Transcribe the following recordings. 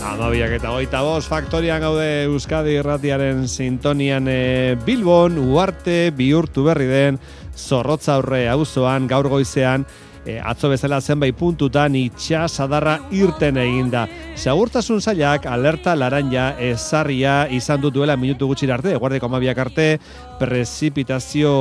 Amabiak eta 25 faktorian gaude Euskadi Irratiaren sintonian Bilbon, Uarte bihurtu berri den Zorrotzaurre auzoan gaur goizean atzo bezala zenbait puntutan itsasadarra irten eginda. Segurtasun sailak alerta laranja ezarria izan duela minutu gutxira arte, eguerdiko 12 arte, prezipitazio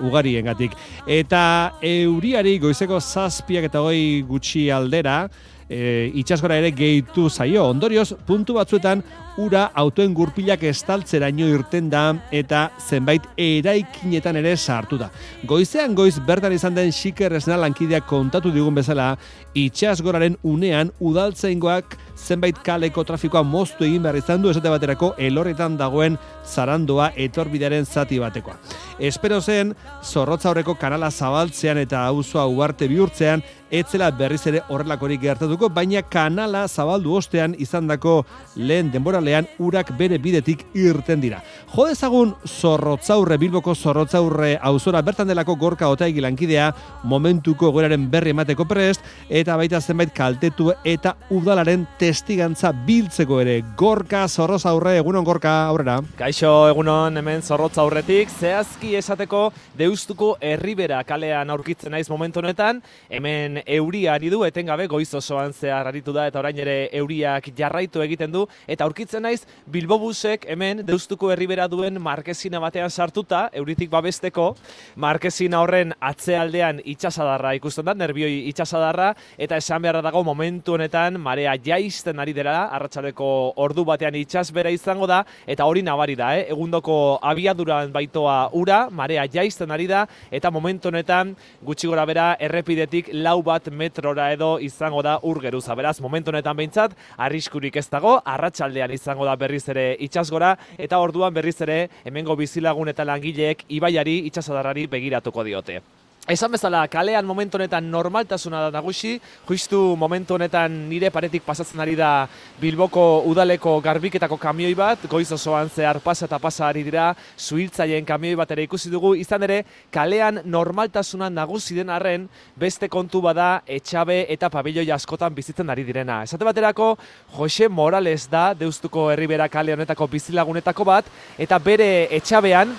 ugariengatik. Eta euriari goizeko 7:20 gutxi aldera, itsasgora ere gehitu zaio. Ondorioz, puntu batzuetan ura autoen gurpilak estaltzeraino irten da eta zenbait eraikinetan ere sartu da. Goizean goiz bertan izan den Xiker Esna lankideak kontatu digun bezala, itsasgoraren unean udaltzaingoak zenbait kaleko trafikoa moztu egin behar izan du, esate baterako elorretan dagoen zarandoa etorbidearen zati batekoa. Espero zen, Zorrotzaurreko kanala zabaltzean eta auzoa Uarte bihurtzean, etzela berriz ere horrelakorik gertatuko, baina kanala zabaldu ostean izandako lehen denboralean urak bere bidetik irten dira. Jo dezagun Zorrotzaurre, Bilboko Zorrotzaurre auzora bertan delako Gorka Otaegi lankidea momentuko egoeraren berri emateko prest, eta baita zenbait kaltetu eta udalaren testigantza biltzeko ere. Gorka, Zorrotzaurre, egunon Gorka, aurrera. Kaixo, egunon, hemen Zorrotzaurretik, zehazki esateko Deustuko Erribera kalean aurkitzen naiz momentu honetan, hemen euria ari du, etengabe goiz osoan zehar aritu da, eta orain ere euriak jarraitu egiten du, eta aurkitzen naiz Bilbobusek hemen Deustuko Erribera duen markezina batean sartuta, euritik babesteko, markezina horren atzealdean itsasadarra ikusten da, nerbioi itsasadarra, eta esan beharra dago momentu honetan marea jaisten ari dela, arratsaldeko ordu batean itsasbera izango da, eta hori nabari da, egundoko abiaduran baitoa ura, marea jaisten ari da, eta momentu honetan gutxi gora bera errepidetik 4 metrora edo izango da ur geruza. Beraz, momentu honetan behintzat, arriskurik ez dago, arratsaldean izango da berriz ere itsasgora, eta orduan berriz ere hemengo bizilagun eta langileek ibaiari itsasadarrari begiratuko diote. Esan bezala, kalean momentu honetan normaltasuna da nagusi, justu momentu honetan nire paretik pasatzen ari da Bilboko udaleko garbiketako kamioi bat, goiz osoan zehar pasa eta pasa ari dira, zuhiltzaien kamioi bat ere ikusi dugu, izan ere, kalean normaltasuna nagusi den arren, beste kontu bada etxabe eta pabelloi askotan bizitzen ari direna. Esate baterako, Jose Morales da, Deustuko Erribera kale honetako bizilagunetako bat, eta bere etxabean,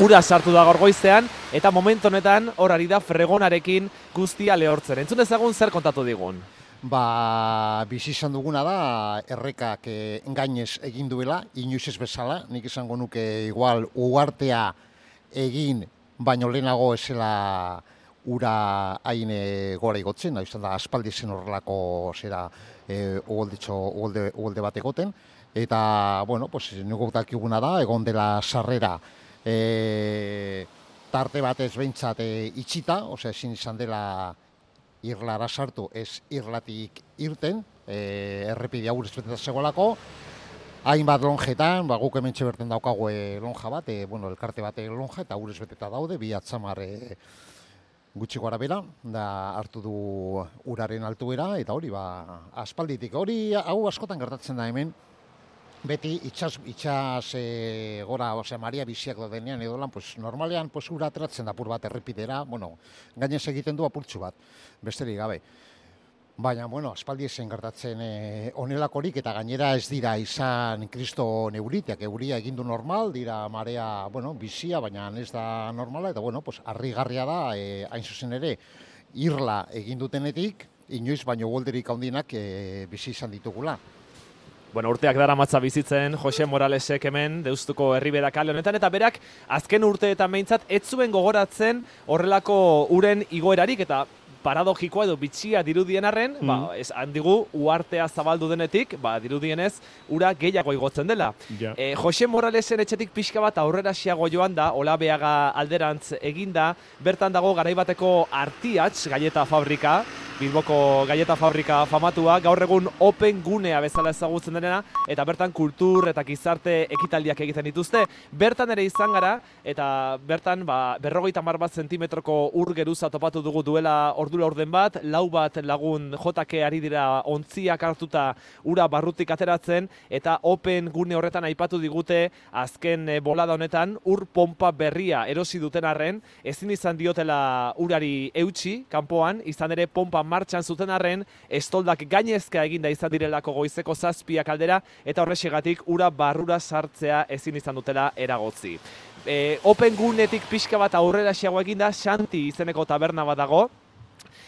ura sartu da gaur goizean, eta momentu honetan hor ari da fregonarekin guztia lehortzen. Entzun ezagun zer kontatu digun? Bizi izan duguna da, errekak gainez egin duela, inoiz ez bezala, nik esango nuke igual uartea egin, baino lehenago esela ura hain gora igotzen, izan da aspaldi zen horrelako zera uholde bat egoten, eta, bueno, nugu dakiguna da, egon dela sarrera, tarte batez behintzat itxita, ezin izan dela irlara sartu, ez irlatik irten, errepidea urez beteta zegoelako, hainbat lonjetan, guk hemen berten daukagu lonja bat, elkarte bat lonja, eta urez beteta daude, bi atzamar gutxi gora bera, da hartu du uraren altuera, eta hori, aspalditik, hori hau askotan gertatzen da hemen, beti itxas gora, maria biziak daudenean edo lan, normalean ura ateratzen da apur bat errepidera, gainez egiten du apurtxu bat, besterik gabe. Baina, aspaldi esen gertatzen onelakorik eta gainera ez dira izan kristo neuriteak, euria egindu normal, dira marea, bizia, baina ez da normala, eta, harrigarria da, hain zuzen ere, irla egin dutenetik, inoiz baino uholderik handienak bizi izan ditugula. Urteak daramatza bizitzen Jose Moralesek hemen Deustuko Erribera kale honetan, eta berak azken urteetan behintzat ez zuen gogoratzen horrelako uren igoerarik, eta paradogikoa edo bitxia dirudien arren, handigu uartea zabaldu denetik, dirudienez ura gehiago igotzen dela. Jose Moralesen etxetik pixka bat aurrera xiago joan da, Olabeaga alderantz eginda, bertan dago garaibateko Artiatx galleta fabrika, Bilboko galleta fabrika famatua, gaur egun open gunea bezala ezagutzen denena, eta bertan kultur eta gizarte ekitaldiak egiten dituzte. Bertan ere izan gara, eta bertan 50 zentimetroko ur geruza topatu dugu duela ordura orden bat, 4 lagun jotake ari dira ontziak hartuta ura barrutik ateratzen, eta open gune horretan aipatu digute azken bolada honetan ur pompa berria erosi duten arren, ezin izan diotela urari eutsi kanpoan, izan ere pompa martxan zuten arren, estoldak gainezka eginda izan direlako goizeko 7 aldera, eta horrexegatik ura barrura sartzea ezin izan dutela eragotzi. Open gunetik pixka bat aurrera xeago eginda, Xanti izeneko taberna bat dago,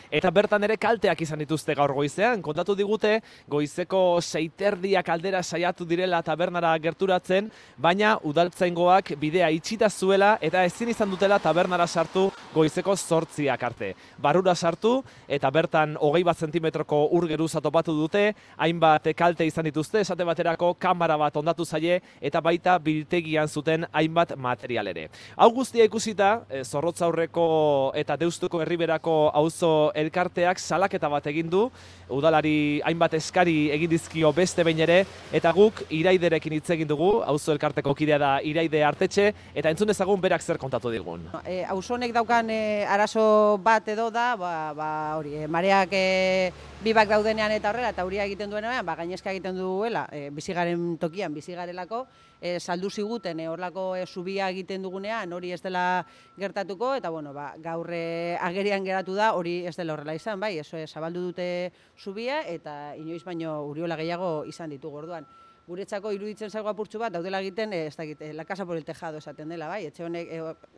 eta bertan ere kalteak izan dituzte gaur goizean. Kontatu digute, goizeko 6:30 aldera saiatu direla tabernara gerturatzen, baina udaltzaingoak bidea itxita zuela eta ezin izan dutela tabernara sartu goizeko 8 arte. Barrura sartu eta bertan 21 zentimetroko ur geruza topatu dute, hainbat kalte izan dituzte, esate baterako kamera bat ondatu zaie eta baita biltegian zuten hainbat material ere. Hau guztia ikusita, Zorrotzaurreko eta Deustuko Herriberako auzo elkarteak salaketa bat egin du, udalari hainbat eskari egin dizkio beste behin ere, eta guk Iraiderekin hitz egin dugu, auzo elkarteko kidea da Iraide Artetxe, eta entzun dezagun berak zer kontatu digun. Auzo honek daukan arazo bat edo da, hori, mareak bibak daudenean eta horrela, eta huria egiten duenean, gainezka egiten duela, bizigaren tokian, bizigarelako, saldu ziguten horlako zubia egiten dugunean, hori ez dela gertatuko, eta gaur agerian geratu da, hori ez dela horrela izan, bai, zabaldu dute zubia, eta inoiz baino uriola gehiago izan ditugu orduan. Guretzako iruditzen zaigu apurtxu bat, daudela egiten, ez dakit, la casa por el tejado esaten dela, bai, etxe honek,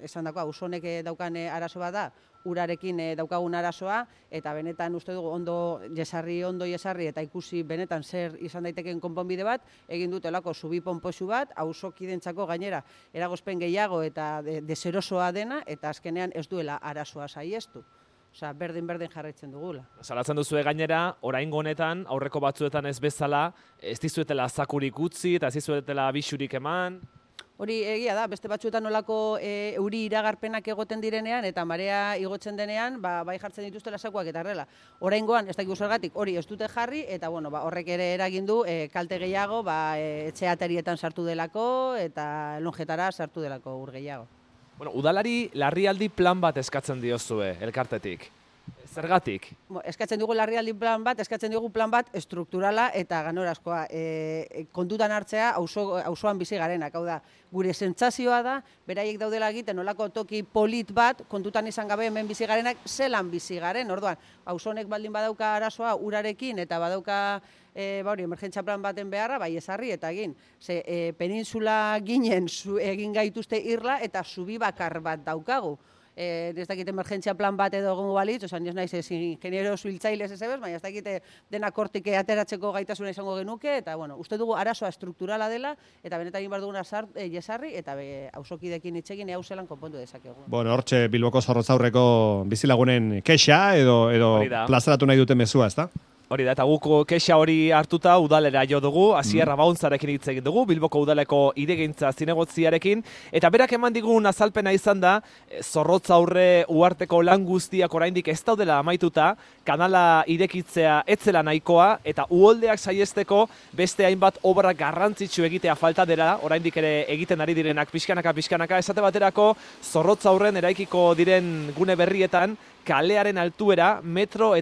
esan dako, auzo honek daukan arazo bat da, urarekin daukagun arazoa, eta benetan uste dugu ondo jesarri eta ikusi benetan zer izan daiteken konponbide bat, egin dutelako zubi ponpoxu bat, auzokidentzako gainera eragozpen gehiago eta deserosoa dena, eta azkenean ez duela arazoa saiestu. Osa, berdin jarraitzen dugula. Salatzen duzue gainera, oraingo honetan, aurreko batzuetan ez bezala, ez dizuetela zakurik utzi eta ez dizuetela bisurik eman. Hori egia da, beste batzuetan nolako euri iragarpenak egoten direnean eta marea igotzen denean, bai jartzen dituztela zakuak eta horrela. Oraingoan, ez dakigu zergatik, hori ez dute jarri eta horrek ere eragin du kalte gehiago, etxe atarietan sartu delako eta lonjetara sartu delako ur gehiago. Udalari larrialdi plan bat eskatzen diozue elkartetik. Zergatik? Eskatzen dugu larrialdi plan bat, eskatzen dugu plan bat estrukturala eta ganorazkoa. Kontutan hartzea auzoan bizi garenak. Hau da, gure sentsazioa da, beraiek daudela egiten nolako toki polit bat, kontutan izan gabe hemen bizi garenak, zelan bizi garen. Orduan, auzo honek baldin badauka arazoa urarekin eta badauka emergentzia plan baten beharra, bai ezarri eta egin. Peninsula ginen egin gaituzte irla eta zubi bakar bat daukagu. Ez dakit emergentzia plan bat edo egongo balitz, osan ez naiz ingeniero zuhiltzailez ez ebez, baina ez dakit dena kortik ateratzeko gaitasuna izango genuke, eta uste dugu arazoa estrukturala dela, eta benetan egin behar duguna jesarri, eta auzokidekin hitzekin hau zelan konpondu dezakegu. Hortxe Bilboko Zorrotzaurreko bizilagunen kexa edo plazaratu nahi duten mezua, ez da? Hori da, eta guk kexa hori hartuta udalera jo dugu, Asier Abaunzarekin hitz egin dugu, Bilboko udaleko iregintza zinegotziarekin, eta berak eman digun azalpena izan da, Zorrotzaurre uharteko lan guztiak oraindik ez daudela amaituta, kanala irekitzea etzela nahikoa, eta uholdeak saiesteko beste hainbat obra garrantzitsu egitea falta dela, oraindik ere egiten ari direnak pixkanaka, esate baterako Zorrotzaurren eraikiko diren gune berrietan, kalearen altuera 1,5 metro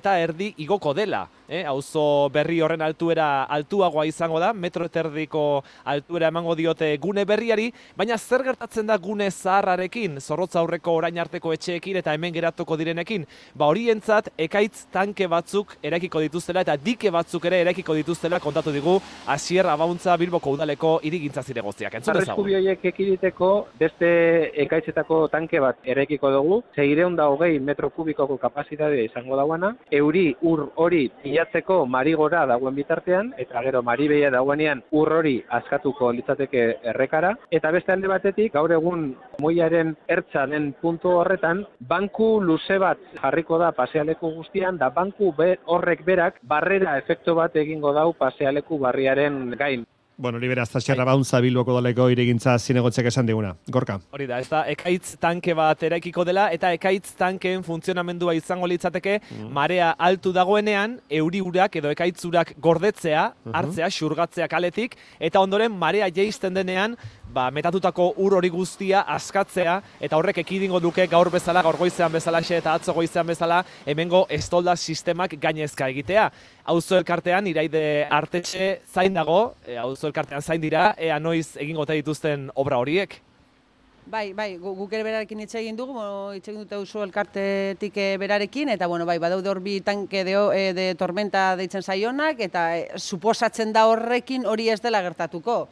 igoko dela. Auzo berri horren altuera altuagoa izango da, 1,5 metro altuera emango diote gune berriari, baina zer gertatzen da gune zaharrarekin, Zorrotzaurreko orain arteko etxeekin eta hemen geratuko direnekin? Horientzat ekaitz tanke batzuk eraikiko dituztela eta dike batzuk ere eraikiko dituztela kontatu digu Asier Abauntza Bilboko udaleko hirigintza zinegotziak. Entzun dezagun. Arrisku horiek ekiditeko beste ekaitzetako tanke bat eraikiko dugu, 620 metro kubikoko kapazitatea izango dauana, euri ur hori pilatzeko marigora dagoen bitartean, eta gero maribeia dagoenean ur hori askatuko litzateke errekara, eta beste alde batetik, gaur egun moiaren ertza den puntu horretan, banku luze bat jarriko da pasealeku guztian, da banku horrek berak barrera efektu bat egingo dau pasealeku barriaren gain. Hori beraz, Asier Abauntza Bilboko udaleko iregintza zinegotziak esan diguna. Gorka. Hori da, ez da, ekaitz tanke bat eraikiko dela, eta ekaitz tankeen funtzionamendua izango litzateke marea altu dagoenean, euri urak edo ekaitz urak gordetzea, hartzea, xurgatzea kaletik, eta ondoren marea jaisten denean, metatutako ur hori guztia askatzea, eta horrek ekidingo duke gaur bezala, gaur goizean bezalaxe eta atzo goizean bezala, hemengo estolda sistemak gainezka egitea. Auzo elkartean, Iraide Artetxe zain dago, auzo elkartean zain dira, ea noiz egingo dituzten obra horiek? Bai, guk ere berarekin hitz egin dugu, hitz egin dute oso elkartetik berarekin, eta badaude hor bi tanke de tormenta deitzen zaionak, eta suposatzen da horrekin hori ez dela gertatuko.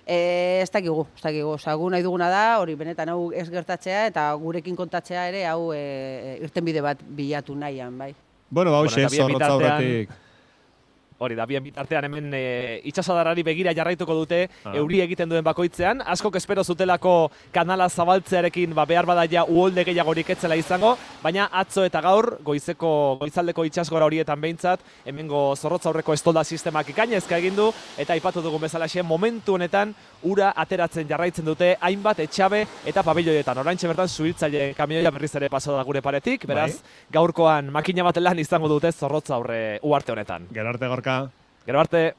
Ez dakigu, gu nahi duguna da, hori benetan hau ez gertatzea, eta gurekin kontatzea ere hau irtenbide bat bilatu nahian, bai. Bueno, hauxe, Zorrotza aurretik. Hori da, bien bitartean hemen itsasadarrari begira jarraituko dute euri egiten duen bakoitzean. Askok espero zutelako kanala zabaltzearekin behar badaia uholde gehiagorik etzela izango, baina atzo eta gaur goizaldeko itsasgora horietan behintzat hemengo Zorrotza aurreko estolda sistemak ikainezka egin du, eta aipatu dugun bezalaxe momentu honetan ura ateratzen jarraitzen dute hainbat etxabe eta pabiloietan. Oraintxe bertan suhiltzaile kamioia berriz ere pasatu da gure paretik, beraz gaurkoan makina bat lan izango dute Zorrotza aurre uharte honetan. Gero arte, Gorka. Gero arte.